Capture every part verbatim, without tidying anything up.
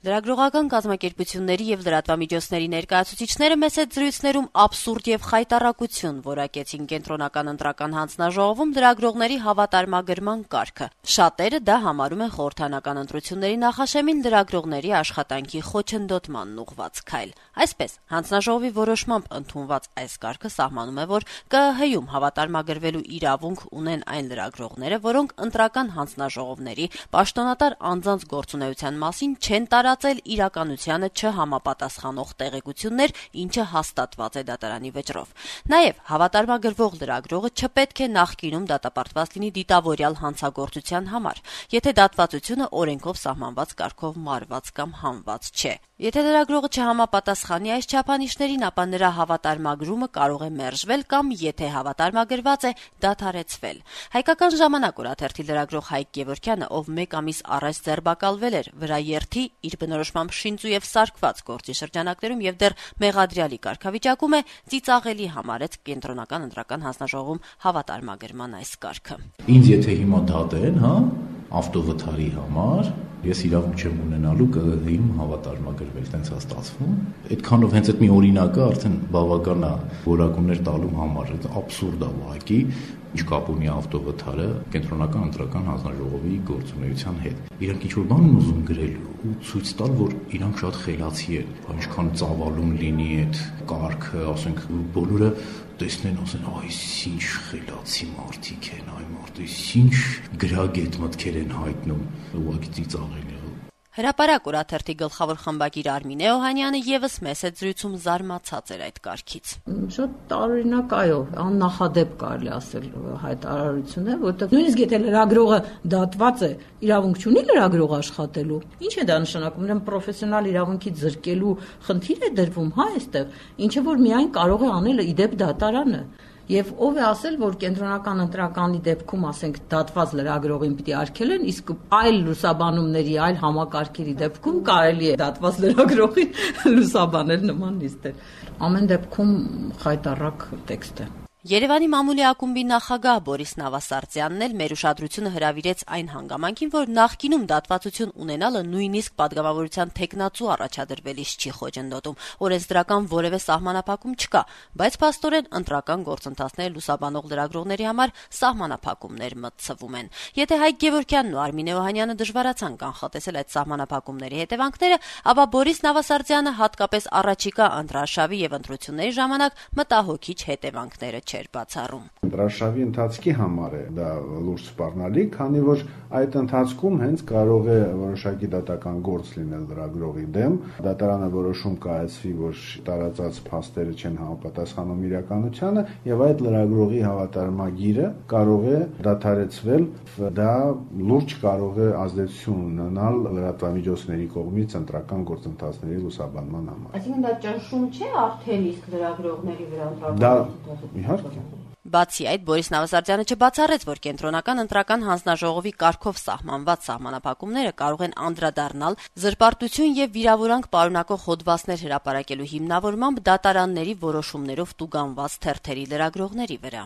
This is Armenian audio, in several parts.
Լրագրողական կազմակերպությունների եւ լրատվամիջոցների ներկայացուցիչները մեծ զրույցներում աբսուրդ եւ խայտառակություն որակեցին կենտրոնական ընտրական հանձնաժողովում լրագրողների հավատարմագրման կարգը։ Շատերը դա համարում են խորհրդանական ընտրությունների նախաշեմին լրագրողների աշխատանքի խոչընդոտմանն ուղղված քայլ։ Այսպես, հանձնաժողովի որոշմամբ ընդունված այս կարգը սահմանում է, որ ԿԸՀ-ում հավատարմագրվելու իրավունք ունեն այն լրագրողները, որոնք ընտրական հանձնաժողովների պաշտոնատար անձանց գործունեության մասին չեն տարածել իրականությանը չհամապատասխանող տեղեկություններ, ինչը հաստատված է դատարանի վճռով։ Նաև հավատարմագրվող լրագրողը չպետք է նախկինում դատապարտված լինի դիտավորյալ հանցագործության համար, եթե դատվածությունը օրենքով սահմանված կարգով մարված կամ հանված չէ։ Եթե լրագրողը չհամապատասխանի այս չափանիշներին, ապա նրա հավատարմագրումը կարող է մերժվել կամ, եթե հավատարմագրված է, դադարեցվել։ Հայկական ժամանակ օրաթերթի լրագրող Հայկ Գևորգյանը, ով մեկ ամիս առաջ ձերբակալվել էր վրաերթի իր բնորոշմամբ շինծու եւ սարքված գործի շրջանակներում եւ դեռ մեղադրյալի կարգավիճակում է, ծիծաղելի համարեց կենտրոնական ընտրական հանձնաժողովում հավատարմագրման այս կարգը։ Ինձ եթե հիմա դատեն, հա, ավտովթարի համար, ես իրավունք չեմ ունենալու ԿԸՀ-ում հավատարմագրվել, տենց է ստացվում։ Այդքանով հենց այդ մի օրինակը արդեն բավական է որակումներ տալու համար, աբսուրդ է ուղղակի, ինչ կապ ունի ավտովթարը կենտրոնական ընտրական հանձնաժողովի գործունեության հետ։ Իրանք ինչ-որ բան են ուզում գրել ու ցույց տալ, որ իրանք շատ խելացի են, ինչքան ծավալուն լինի այդ կարգը, ասենք բոլորը տեսնեն, ասեն, այս ինչ խելացի մարդիկ են, այ մարդ, ինչ գրագետ մտքեր են հայտնում, ուղղակի ծիծաղելի է։ Հրապարակ օրաթերթի գլխավոր խմբագիր Արմինե Օհանյանը եւս մեծ զրույցում զարմացած էր այդ կարգից։ Շատ տարօրինակ այո, աննախադեպ կարելի ասել հայտարարություն է, որտեղ նույնիսկ եթե լրագրողը դատված է, իրավունք չունի լրագրող աշխատելու։ Ինչ է դա նշանակում, ուրեմն պրոֆեսիոնալ իրավունքից զրկելու խնդիր է դրվում, հա, այստեղ, ինչը որ միայն կարող է անել իդեպ դատարանը։ Եվ ով է ասել, որ կենտրոնական ընտրականի դեպքում, ասենք, դատված լրագրողին պիտի արգելեն, իսկ այլ լուսաբանումների, այլ համակարգերի դեպքում կարելի է դատված լրագրողին լուսաբանել նման նիստեր։ Ամեն դեպքում խայտառակ տեքստ է։ Երևանի մամուլի ակումբի նախագահ Բորիս Նավասարդյանն էլ մեր ուշադրությունը հրավիրեց այն հանգամանքին, որ նախկինում դատվածություն ունենալը նույնիսկ պատգամավորության թեկնածու առաջադրվելիս չի խոչընդոտում, օրենսդրական որևէ սահմանափակում չկա, բայց փաստորեն ընտրական գործընթացները լուսաբանող լրագրողների համար սահմանափակումներ մտցվում են։ Եթե Հայկ Գևորգյանն ու Արմինե Օհանյանը դժվարացան կանխատեսել այդ սահմանափակումների հետևանքները, ապա Բորիս Նավասարդյանը հատկապես առաջիկա ընտրարշավի եւ ընտրությունների ժամանակ մտահոգիչ հետևանքները չէր բացառում։ Ընտրարշավի ընթացքի համար է դա լուրջ սպառնալիք, քանի որ այդ ընթացքում հենց կարող է որոշակի դատական գործ լինել լրագրողի դեմ, դատարանը որոշում կայացվի, որ տարածած փաստերը չեն համապատասխանում իրականությանը, եւ այդ լրագրողի հավատարմագիրը կարող է դադարեցվել, դա լուրջ կարող է ազդեցություն ունենալ լրատվամիջոցների կողմից ընտրական գործընթացների լուսաբանման համար։ Այսինքն դա ճնշում չէ արդեն իսկ լրագրողների վրա ընտրական։ Դա իհարկե։ Բացի այդ, Բորիս Նավասարդյանը չբացառեց, որ կենտրոնական ընտրական հանձնաժողովի կարգով սահմանված սահմանափակումները կարող են անդրադառնալ զրպարտություն եւ վիրավորանք պարունակող հոդվածներ հրապարակելու հիմնավորմամբ դատարանների որոշումներով տուգանված թերթերի լրագրողների վրա։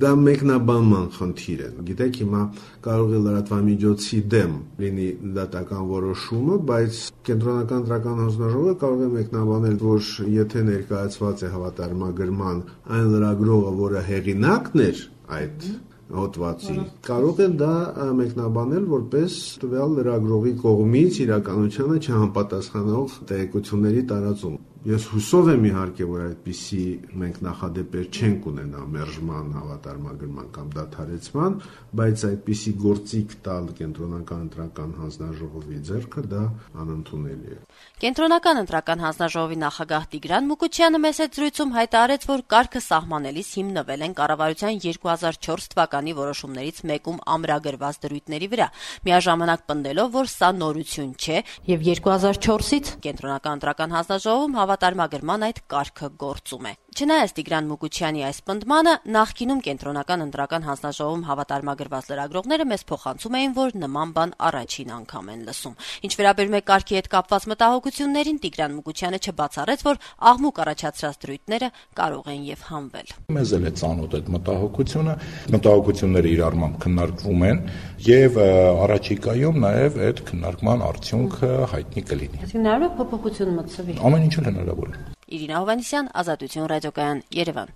Դա մեկնաբանման խնդիր է։ Գիտեք, հիմա կարող է լրատվամիջոցի դեմ լինի դատական որոշումը, բայց կենտրոնական ընտրական հանձնաժողովը կարող է մեկնաբանել, որ եթե ներկայացված է հավատարմագրման այն լրագրողը, որը հեղինակն էր այդ հոդվածի, կարող է դա մեկնաբանել որպես տվյալ լրագրողի կողմից իրականությանը չհամապատասխանող տեղեկությունների տարածում։ Ես հուսով եմ իհարկե, որ այդպիսի մենք նախադեպեր չենք ունենա մերժման, հավատարմագրման կամ դադարեցման, բայց այդպիսի գործիք տալ կենտրոնական ընտրական հանձնաժողովի ձեռքը դա անընդունելի է։ Կենտրոնական ընտրական հանձնաժողովի նախագահ Տիգրան Մուկուչյանը մեծ զրույցում հայտարարեց, որ կարգը սահմանելիս հիմնվել են կառավարության երկու հազար չորս թվականի որոշումներից մեկում ամրագրված դրույթների վրա, միաժամանակ պնդելով, որ սա նորություն չէ եւ երկու հազար չորսից կենտրոնական ընտրական հանձնաժողովում հավատարմագրման այդ կարգը գործում է։ Չնայած Տիգրան Մուկուչյանի այս պնդմանը, նախկինում կենտրոնական ընտրական հանձնաժողովում հավատարմագրված լրագրողները մեզ փոխանցում էին, որ նման բան առաջին անգամ են լսում։ Ինչ վերաբերում է կարգի հետ կապված մտահոգություններին, Տիգրան Մուկուչյանը չբացառեց, որ աղմուկ առաջացրած դրույթները կարող են եւ հանվել։ Մեզ էլ է ծանոթ այդ մտահոգությունը, մտահոգությունները իրարմամբ քննարկվում են եւ առաջիկայում նաեւ այդ քննարկման արդյունքը հայտնի կլինի։ Այսինքն հնարավոր է փոփոխություն մտցվի։ Ամեն ինչ հնարավոր է։ Իրինա Հովհաննիսյան, Ազատություն ռադիոկայան, Երևան։